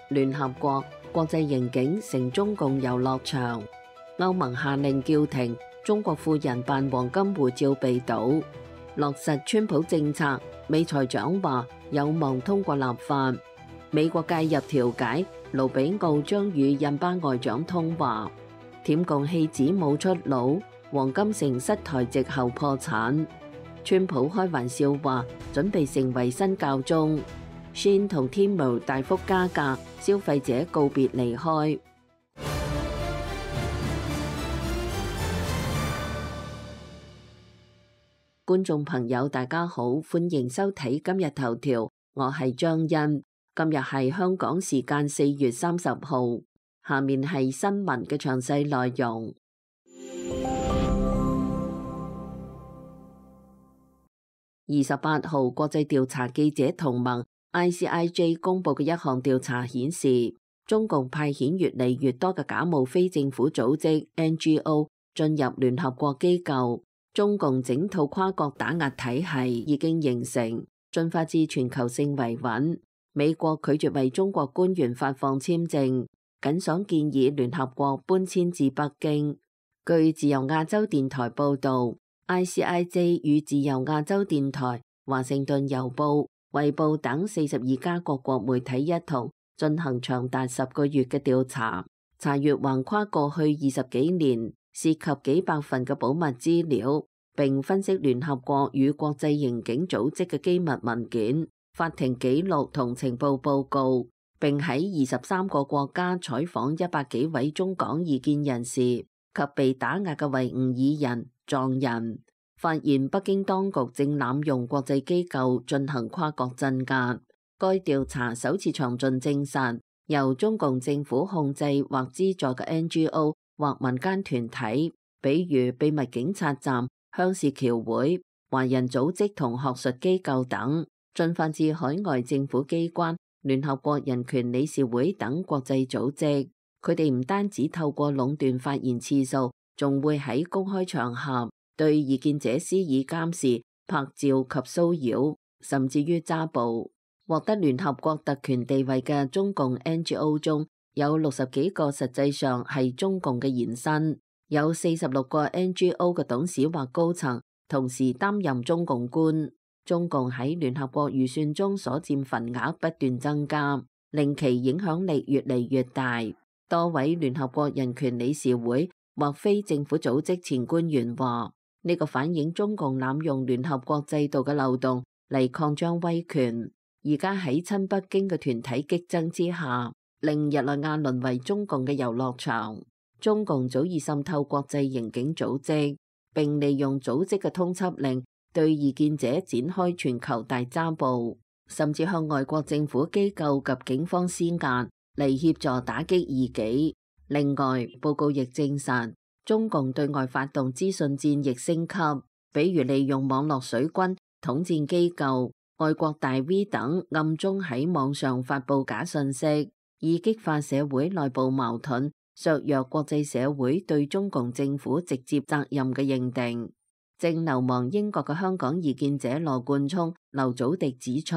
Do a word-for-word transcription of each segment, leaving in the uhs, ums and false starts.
聯合國國際刑警成中共遊樂場，歐盟下令叫停中國富人辦黃金護照被堵，落實川普政策，美財長話有望通過立法，美國介入調解，盧比奧將與印巴外長通話，舔共戲子冇出路，黃金城失台籍後破產，川普開玩笑話準備成為新教宗。Shein 同 Temu 大幅加價，消費者告別離開。觀眾朋友大家好，歡迎收睇今日頭條，我係張欣。今日係香港時間四月三十號，下面係新聞嘅詳細內容。二十八號，國際調查記者同盟 I C I J 公佈嘅一項調查顯示，中共派遣越嚟越多嘅假冒非政府組織 N G O 進入聯合國機構，中共整套跨國打壓體系已經形成，進化至全球性維穩。美國拒絕為中國官員發放簽證，僅想建議聯合國搬遷至北京。據自由亞洲電台報導，I C I J 與自由亞洲電台、華盛頓郵報、衛報等四十二家各國媒體一同進行長達十個月嘅調查，查閱橫跨過去二十幾年、涉及幾百份嘅保密資料，並分析聯合國與國際刑警組織嘅機密文件、法庭記錄同情報報告，並喺二十三個國家採訪一百幾位中港異見人士及被打壓嘅維吾爾人、藏人，發現北京當局正濫用國際機構進行跨國鎮壓。該調查首次詳盡證實，由中共政府控制或資助嘅 N G O 或民間團體，比如秘密警察站、鄉事僑會、華人組織同學術機構等，進發至海外政府機關、聯合國人權理事會等國際組織。佢哋唔單止透過壟斷發言次數，仲會喺公開場合對異見者施以監視、拍照及騷擾，甚至於揸捕。獲得聯合國特權地位嘅中共 N G O 中有六十幾個實際上係中共嘅延伸，有四十六個 N G O 嘅董事或高層同時擔任中共官。中共喺聯合國預算中所佔份額不斷增加，令其影響力越嚟越大。多位聯合國人權理事會或非政府組織前官員話，呢個反映中共濫用聯合國制度嘅漏洞嚟擴張威權。而家喺親北京嘅團體激增之下，令日內瓦淪為中共嘅遊樂場。中共早已滲透國際刑警組織，並利用組織嘅通緝令對異見者展開全球大抓捕，甚至向外國政府機構及警方施壓嚟協助打擊異己。另外，報告亦證實，中共對外發動資訊戰亦升級，比如利用網絡水軍、統戰機構、外國大 V 等暗中喺網上發布假信息，以激化社會內部矛盾，削弱國際社會對中共政府直接責任嘅認定。正流亡英國嘅香港異見者羅冠聰、劉祖迪指出，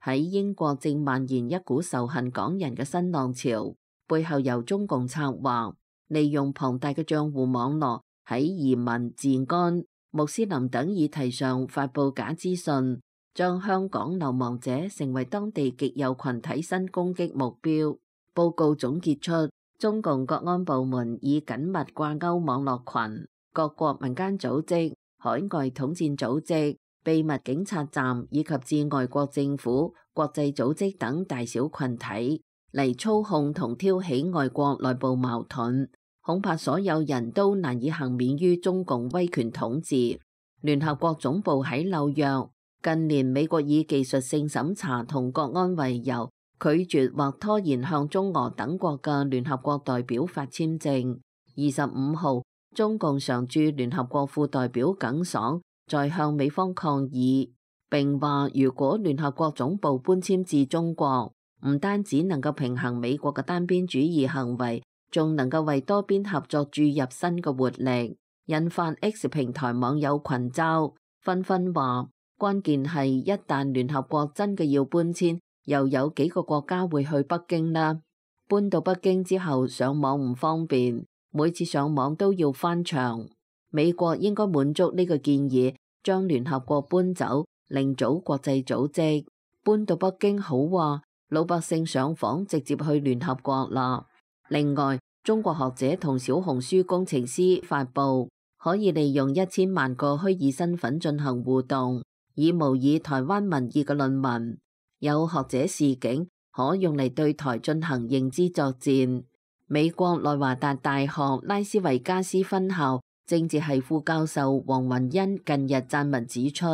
喺英國正蔓延一股仇恨港人嘅新浪潮，背後由中共策劃，利用龐大嘅賬戶網絡喺移民、治安、穆斯林等議題上發布假資訊，將香港流亡者成為當地極右群體新攻擊目標。報告總結出，中共國安部門以緊密掛鈎網絡群、各國民間組織、海外統戰組織、秘密警察站以及至外國政府、國際組織等大小群體嚟操控同挑起外國內部矛盾，恐怕所有人都難以幸免於中共威權統治。聯合國總部喺紐約。近年美國以技術性審查同國安為由，拒絕或拖延向中俄等國嘅聯合國代表發簽證。二十五號，中共常駐聯合國副代表耿爽在向美方抗議，並話如果聯合國總部搬遷至中國，唔單止能夠平衡美國嘅單邊主義行為，仲能夠為多邊合作注入新嘅活力，引發 X 平台網友群嘲，紛紛話。關鍵係一旦聯合國真嘅要搬遷，又有幾個國家會去北京呢？搬到北京之後上網唔方便，每次上網都要翻牆。美國應該滿足呢個建議，將聯合國搬走，另組國際組織。搬到北京好話，老百姓上訪直接去聯合國啦。另外，中國學者同小紅書工程師發布可以利用一千萬個虛擬身份進行互動，以模擬台灣民意嘅論文。有學者示警，可用嚟對台進行認知作戰。美國內華達大學拉斯維加斯分校政治系副教授黃雲恩近日撰文指出，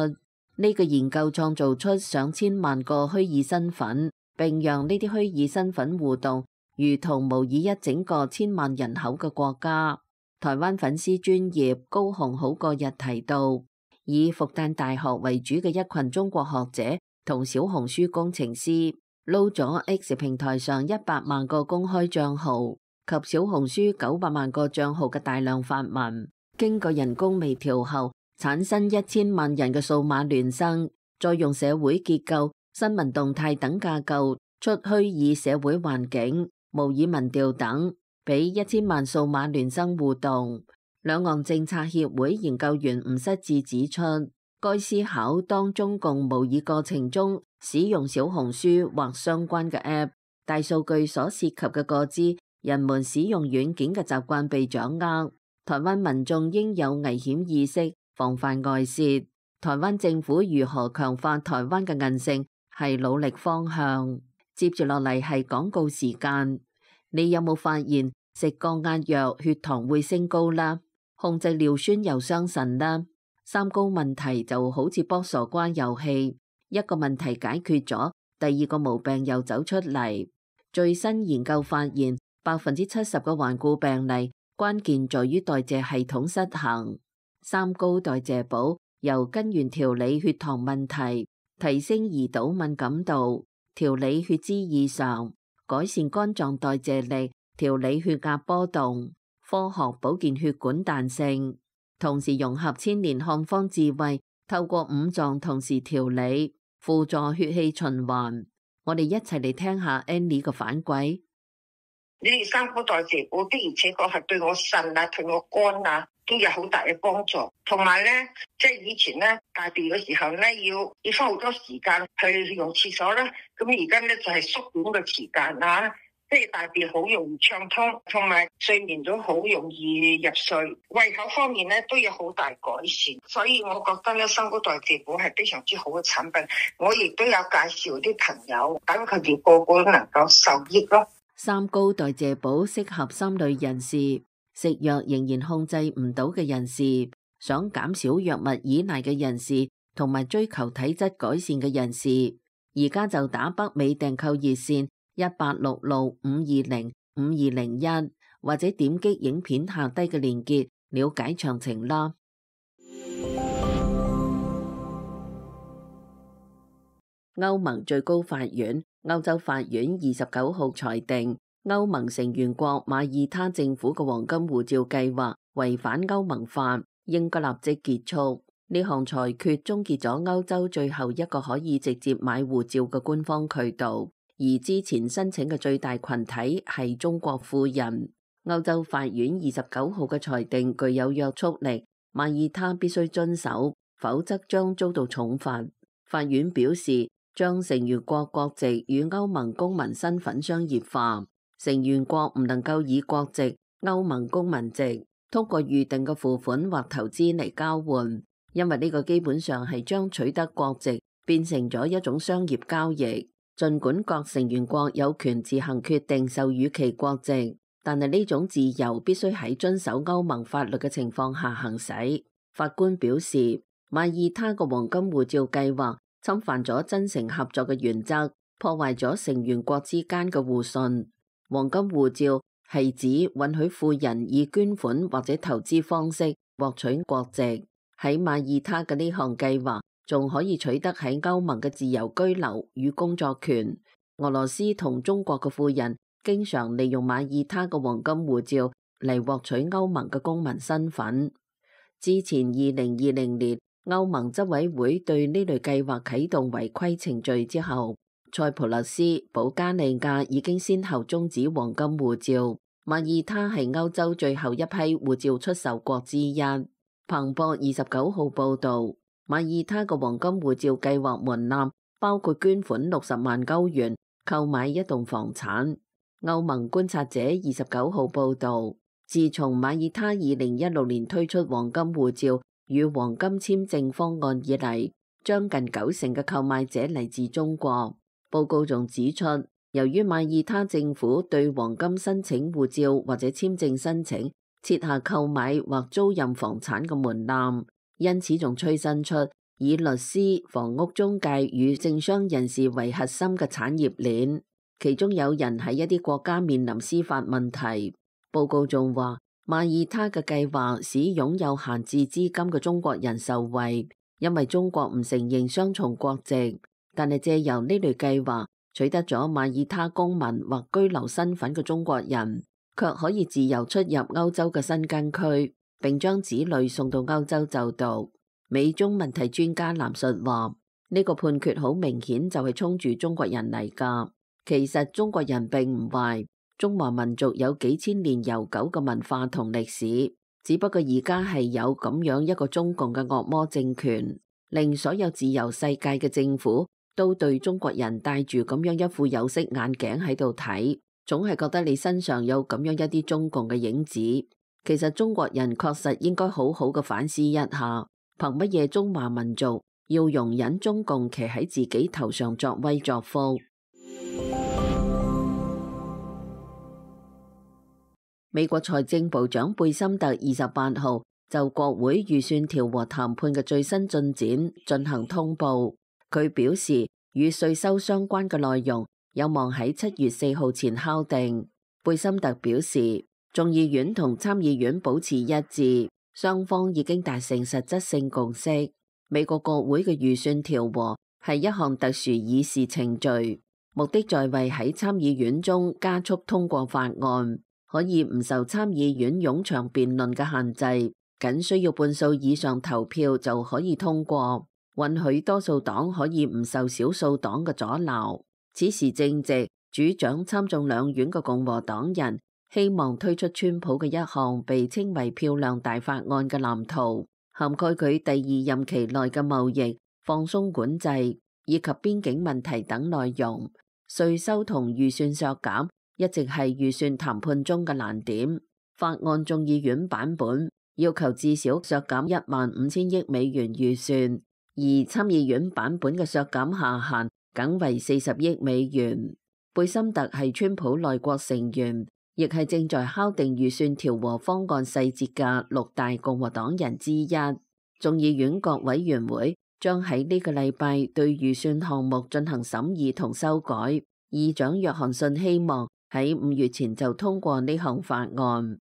呢個研究創造出上千萬個虛擬身份，並讓呢啲虛擬身份互動，如同模擬一整個千萬人口嘅國家。台灣粉絲專頁高雄好過日提到，以復旦大學為主嘅一群中國學者同小紅書工程師撈咗 X 平台上一百萬個公開賬號及小紅書九百萬個賬號嘅大量發文，經過人工微調後產生一千萬人嘅數碼孿生，再用社會結構、新聞動態等架構出虛擬社會環境、模擬民調等，俾一千萬數碼孿生互動。兩岸政策協會研究員吳失志指出，該思考當中共模擬過程中使用小紅書或相關嘅 App， 大數據所涉及嘅個資，人們使用軟件嘅習慣被掌握。台灣民眾應有危險意識，防範外泄。台灣政府如何強化台灣嘅韌性，係努力方向。接住落嚟係廣告時間。你有冇發現食降壓藥血糖會升高啦？控制尿酸又傷腎啦？三高問題就好似剝傻瓜遊戲，一個問題解決咗，第二個毛病又走出嚟。最新研究發現，百分之七十嘅頑固病例關鍵在於代謝系統失衡。三高代謝補由根源調理血糖問題，提升胰島敏感度，調理血脂異常，改善肝臟代謝力，調理血壓波動，科學保健血管彈性。同時融合千年漢方智慧，透過五臟同時調理，輔助血氣循環。我哋一齊嚟聽下 Annie 嘅反饋。你哋三高代謝補的而且確係對我腎啊、對我肝啊都有好大嘅幫助。同埋咧，即係以前咧大便嘅時候咧，要要花好多時間去用廁所啦。咁而家咧就係縮短嘅時間啊。即係大便好容易暢通，同埋睡眠都好容易入睡，胃口方面咧都有好大改善，所以我覺得咧三高代謝補係非常之好嘅產品。我亦都有介紹啲朋友，等佢哋個個都能夠受益咯。三高代謝補適合三類人士：食藥仍然控制唔到嘅人士，想減少藥物依賴嘅人士，同埋追求體質改善嘅人士。而家就打北美訂購熱線一八六六五二零五二零一，或者點擊影片下低嘅鏈接了解詳情啦。歐盟最高法院、歐洲法院二十九號裁定，歐盟成員國馬耳他政府嘅黃金護照計劃違反歐盟法，應該立即結束。呢項裁決終結咗歐洲最後一個可以直接買護照嘅官方渠道。而之前申請嘅最大群體係中國富人。歐洲法院二十九號嘅裁定具有約束力，馬耳他必須遵守，否則將遭到重罰。法院表示，將成員國國籍與歐盟公民身份商業化，成員國唔能夠以國籍、歐盟公民籍通過預定嘅付款或投資嚟交換，因為呢個基本上係將取得國籍變成咗一種商業交易。儘管各成員國有權自行決定授予其國籍，但係呢種自由必須喺遵守歐盟法律嘅情況下行使。法官表示，馬耳他個黃金護照計劃侵犯咗真誠合作嘅原則，破壞咗成員國之間嘅互信。黃金護照係指允許富人以捐款或者投資方式獲取國籍。喺馬耳他嘅呢項計劃仲可以取得喺歐盟嘅自由居留與工作權。俄羅斯同中國嘅富人經常利用馬耳他嘅黃金護照嚟獲取歐盟嘅公民身份。之前二零二零年歐盟執委會對呢類計劃啟動違規程序之後，塞浦路斯、保加利亞已經先後終止黃金護照。馬耳他係歐洲最後一批護照出售國之一。彭博二十九號報導，馬耳他嘅黃金護照計劃門檻包括捐款六十萬歐元購買一棟房產。歐盟觀察者二十九號報導，自從馬耳他二零一六年推出黃金護照與黃金簽證方案以嚟，將近九成嘅購買者嚟自中國。報告仲指出，由於馬耳他政府對黃金申請護照或者簽證申請設下購買或租賃房產嘅門檻，因此仲催生出以律師、房屋中介與政商人士為核心嘅產業鏈，其中有人喺一啲國家面臨司法問題。報告仲話，馬耳他嘅計劃使擁有閒置資金嘅中國人受惠，因為中國唔承認雙重國籍，但係借由呢類計劃取得咗馬耳他公民或居留身份嘅中國人，卻可以自由出入歐洲嘅申根區，並將子女送到歐洲就讀。美中問題專家藍述話：呢個判決好明顯就係衝住中國人嚟㗎。其實中國人並唔壞，中華民族有幾千年悠久嘅文化同歷史，只不過而家係有咁樣一個中共嘅惡魔政權，令所有自由世界嘅政府都對中國人戴住咁樣一副有色眼鏡喺度睇，總係覺得你身上有咁樣一啲中共嘅影子。其實中國人確實應該好好嘅反思一下，憑乜嘢中華民族要容忍中共騎喺自己頭上作威作福？美國財政部長貝森特二十八號就國會預算調和談判嘅最新進展進行通報。佢表示，與稅收相關嘅內容有望喺七月四號前敲定。貝森特表示，眾議院同參議院保持一致，雙方已經達成實質性共識。美國國會嘅預算調和係一項特殊議事程序，目的在為喺參議院中加速通過法案，可以唔受參議院冗長辯論嘅限制，僅需要半數以上投票就可以通過。允許多數黨可以唔受少數黨嘅阻撓。此時正值主掌參眾兩院嘅共和黨人希望推出川普嘅一項被稱為漂亮大法案嘅藍圖，涵蓋佢第二任期內嘅貿易、放鬆管制以及邊境問題等內容。稅收同預算削減一直係預算談判中嘅難點。法案眾議院版本要求至少削減一萬五千億美元預算，而參議院版本嘅削減下限僅為四十億美元。貝森特係川普內閣成員，亦係正在敲定預算調和方案細節嘅六大共和黨人之一。眾議院各委員會將喺呢個禮拜對預算項目進行審議同修改。議長約翰遜希望喺五月前就通過呢項法案。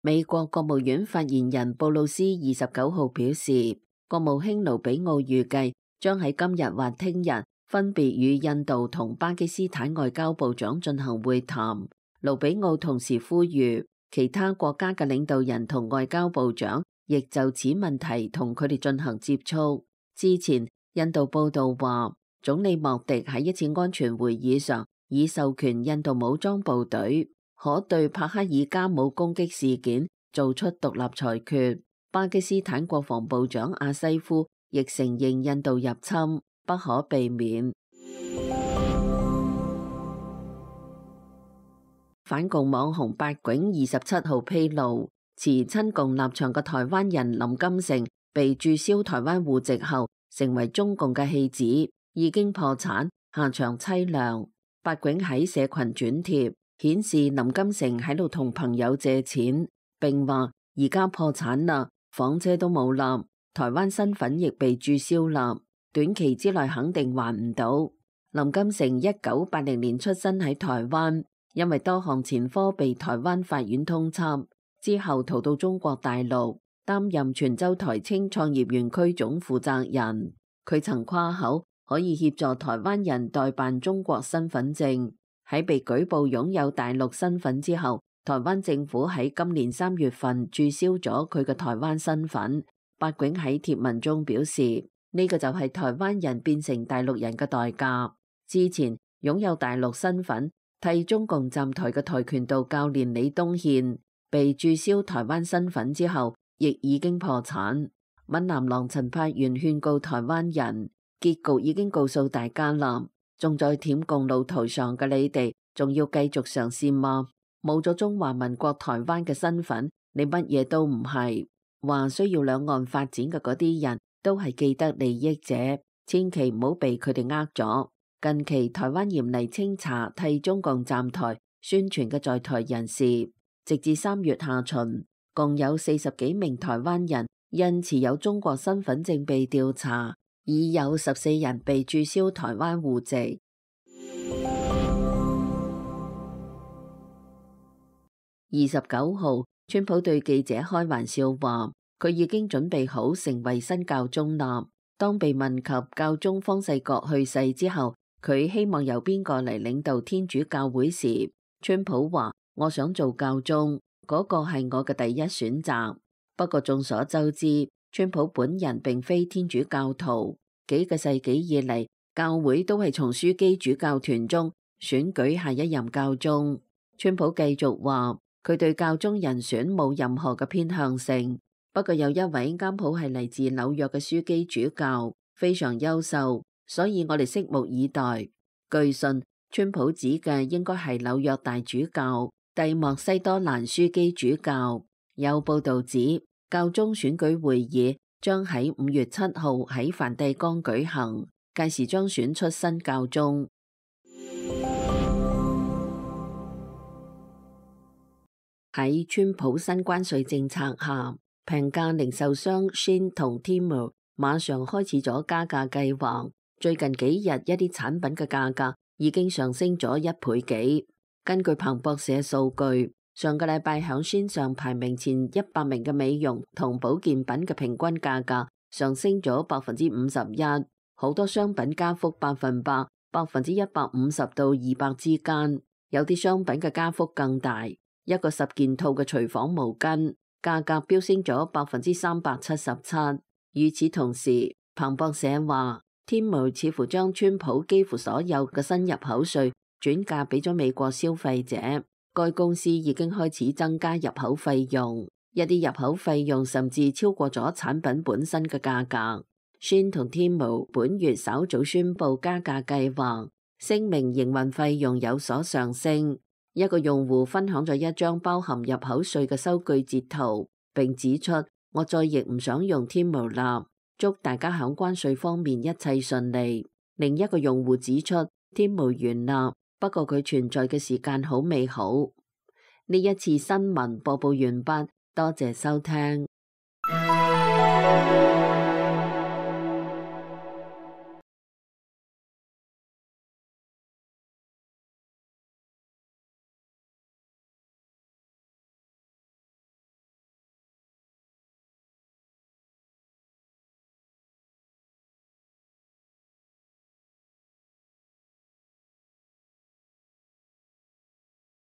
美國國務院發言人布魯斯二十九號表示，國務卿盧比奧預計將喺今日或聽日分別與印度同巴基斯坦外交部長進行會談。盧比奧同時呼籲其他國家嘅領導人同外交部長亦就此問題同佢哋進行接觸。之前，印度報道話，總理莫迪喺一次安全會議上已授權印度武裝部隊可對帕克爾加姆攻擊事件做出獨立裁決。巴基斯坦國防部長阿西夫亦承認印度入侵不可避免。反共網紅八囧二十七號披露，持親共立場嘅台灣人林金城被註銷台灣戶籍後，成為中共嘅棄子，已經破產，下場淒涼。八囧喺社群轉貼，顯示林金城喺度同朋友借錢，並話而家破產啦，房車都冇啦，台灣身份亦被註銷啦，短期之內肯定還唔到。林金城一九八零年出生喺台灣，因為多項前科被台灣法院通緝，之後逃到中國大陸，擔任泉州台青創業園區總負責人。佢曾誇口可以協助台灣人代辦中國身份證。喺被舉報擁有大陸身份之後，台灣政府喺今年三月份註銷咗佢嘅台灣身份。白浚喺貼文中表示，呢個就係台灣人變成大陸人嘅代價。之前擁有大陸身份替中共站台嘅跆拳道教練李東憲被註銷台灣身份之後，亦已經破產。閩南郎陳柏元勸告台灣人，結局已經告訴大家啦，仲在舔共路途上嘅你哋，仲要繼續嘗試嗎？冇咗中華民國台灣嘅身份，你乜嘢都唔係。話需要兩岸發展嘅嗰啲人都係既得利益者，千祈唔好被佢哋呃咗。近期台灣嚴厲清查替中共站台宣傳嘅在台人士，直至三月下旬，共有四十幾名台灣人因持有中國身份證被調查，已有十四人被註銷台灣戶籍。二十九號，川普對記者開玩笑話，佢已經準備好成為新教宗啦。當被問及教宗方濟各去世之後，佢希望由邊個嚟領導天主教會時，川普話：我想做教宗，嗰個係我嘅第一選擇。不過眾所周知，川普本人並非天主教徒，幾個世紀以嚟，教會都係從樞機主教團中選舉下一任教宗。川普繼續話，佢對教宗人選冇任何嘅偏向性。不過有一位啱好係嚟自紐約嘅樞機主教，非常優秀，所以我哋拭目以待。據信，川普指嘅應該係紐約大主教蒂莫西多蘭樞機主教。有報道指，教宗選舉會議將喺五月七號喺梵蒂岡舉行，屆時將選出新教宗。喺川普新關稅政策下，平價零售商 Shein 同 Temu 馬上開始咗加價計劃。最近幾日一啲產品嘅價格已經上升咗一倍幾。根據彭博社數據，上個禮拜響 Shein 上排名前一百名嘅美容同保健品嘅平均價格上升咗百分之五十一，好多商品加幅百分百、百分之一百五十到二百之間，有啲商品嘅加幅更大。一個十件套嘅廚房毛巾價格飆升咗百分之三百七十七。與此同時，彭博社話，天貓似乎將川普幾乎所有嘅新入口稅轉嫁俾咗美國消費者。該公司已經開始增加入口費用，一啲入口費用甚至超過咗產品本身嘅價格。Shein 同天貓本月稍早宣布加價計劃，聲明營運費用有所上升。一個用戶分享咗一張包含入口稅嘅收據截圖，並指出，我再亦唔想用天貓啦，祝大家喺關稅方面一切順利。另一個用戶指出，天貓完啦，不過佢存在嘅時間好美好。呢一次新聞播報完畢，多謝收聽。